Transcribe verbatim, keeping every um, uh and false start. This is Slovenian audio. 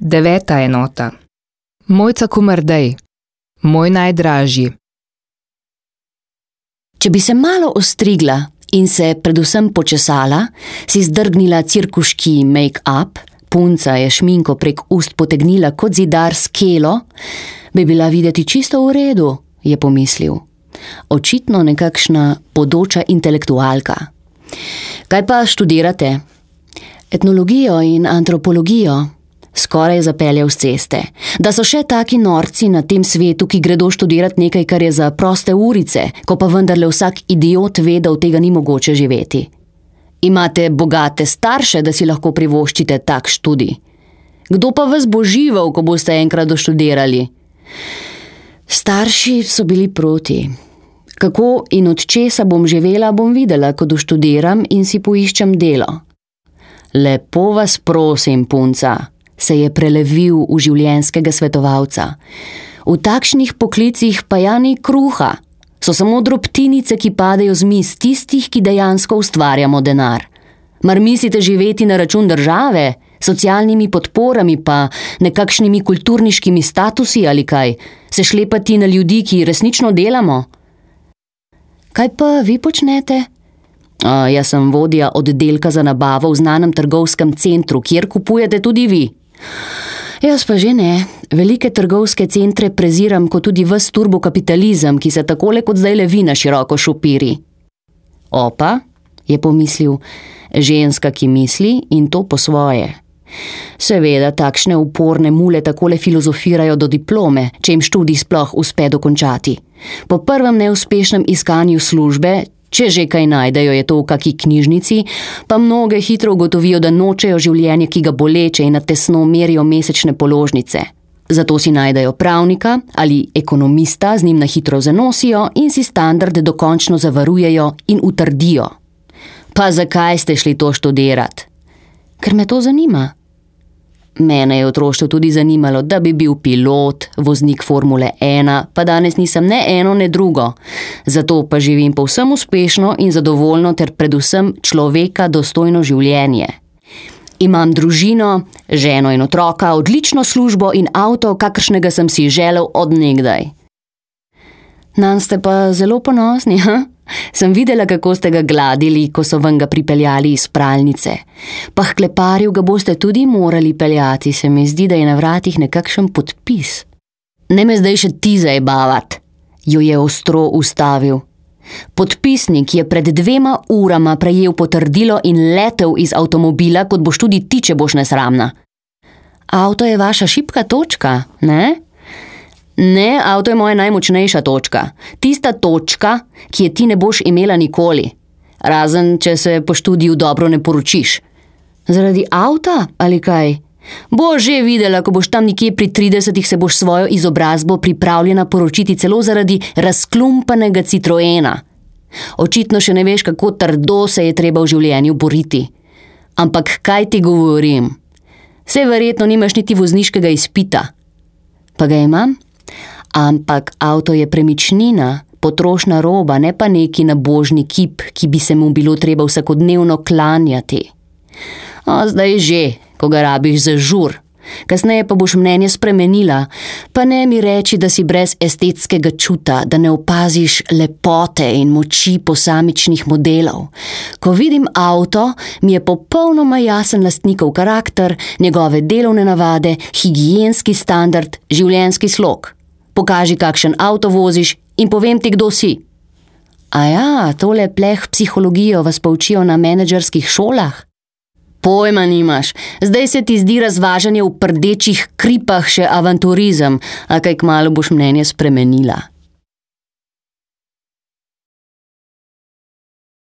Deveta enota. Mojca Kumardej, moj najdražji. Če bi se malo ostrigla in se predvsem počesala, si zdrgnila cirkuški make-up, punca je šminko prek ust potegnila kot zidar skelo, bi bila videti čisto v redu, je pomislil. Očitno nekakšna bodoča intelektualka. Kaj pa študirate? Etnologijo in antropologijo. Skoraj je zapeljal s ceste. Da so še taki norci na tem svetu, ki gredo študirati nekaj, kar je za proste urice, ko pa vendarle vsak idiot ve, da od tega ni mogoče živeti. Imate bogate starše, da si lahko privoščite tak študij. Kdo pa vas bo živel, ko boste enkrat doštudirali? Starši so bili proti. Kako in od česa bom živela, bom videla, ko doštudiram in si poiščem delo. Lepo vas prosim, punca, se je prelevil v življenjskega svetovalca. V takšnih poklicih pa ja ni kruha. So samo drobtinice, ki padejo z miz tistih, ki dejansko ustvarjamo denar. Mar mislite živeti na račun države, socialnimi podporami pa nekakšnimi kulturniškimi statusi ali kaj, se šlepati na ljudi, ki resnično delamo? Kaj pa vi počnete? A, jaz sem vodja oddelka za nabavo v znanem trgovskem centru, kjer kupujete tudi vi. Jaz pa že ne. Velike trgovske centre preziram kot tudi ves turbokapitalizem, ki se takole kot zdajle vi na široko šopiri. Opa, je pomislil, ženska, ki misli in to po svoje. Seveda, takšne uporne mule takole filozofirajo do diplome, če jim študij sploh uspe dokončati. Po prvem neuspešnem iskanju službe, če že kaj najdejo, je to v kaki knjižnici, pa mnoge hitro ugotovijo, da nočejo življenje, ki ga boleče in na tesno merijo mesečne položnice. Zato si najdejo pravnika ali ekonomista, z njim na hitro zanosijo in si standarde dokončno zavarujejo in utrdijo. Pa zakaj ste šli to študirat? Ker me to zanima. Mene je v otroštvu tudi zanimalo, da bi bil pilot, voznik Formule ena, pa danes nisem ne eno, ne drugo. Zato pa živim povsem uspešno in zadovoljno ter predvsem človeka dostojno življenje. Imam družino, ženo in otroka, odlično službo in avto, kakršnega sem si želel od nekdaj. Nanj ste pa zelo ponosni, ha? Sem videla, kako ste ga gladili, ko so vam ga pripeljali iz pralnice. Pa h kleparju ga boste tudi morali peljati, se mi zdi, da je na vratih nekakšen podpis. Ne me zdaj še ti zajebavat, jo je ostro ustavil. Podpisnik je pred dvema urama prejel potrdilo in letel iz avtomobila, kot boš tudi ti, če boš nesramna. Avto je vaša šibka točka, ne? Ne, avto je moja najmočnejša točka. Tista točka, ki je ti ne boš imela nikoli. Razen, če se po študiju dobro ne poročiš. Zaradi avta ali kaj? Boš že videla, ko boš tam nekje pri tridesetih se boš svojo izobrazbo pripravljena poročiti celo zaradi razklumpanega Citroena. Očitno še ne veš, kako trdo se je treba v življenju boriti. Ampak kaj ti govorim? Saj verjetno nimaš niti vozniškega izpita. Pa ga imam? Ampak avto je premičnina, potrošna roba, ne pa neki nabožni kip, ki bi se mu bilo treba vsakodnevno klanjati. O, zdaj že, ko ga rabiš za žur. Kasneje pa boš mnenje spremenila, pa ne mi reči, da si brez estetskega čuta, da ne opaziš lepote in moči posamičnih modelov. Ko vidim avto, mi je popolnoma jasen lastnikov karakter, njegove delovne navade, higienski standard, življenjski slog. Pokaži, kakšen avto voziš in povem ti, kdo si. A ja, tole pleh psihologijo vas poučijo na menedžerskih šolah? Pojma nimaš, zdaj se ti zdi razvažanje v prdečih kripah še avanturizem, a kaj kmalu boš mnenje spremenila.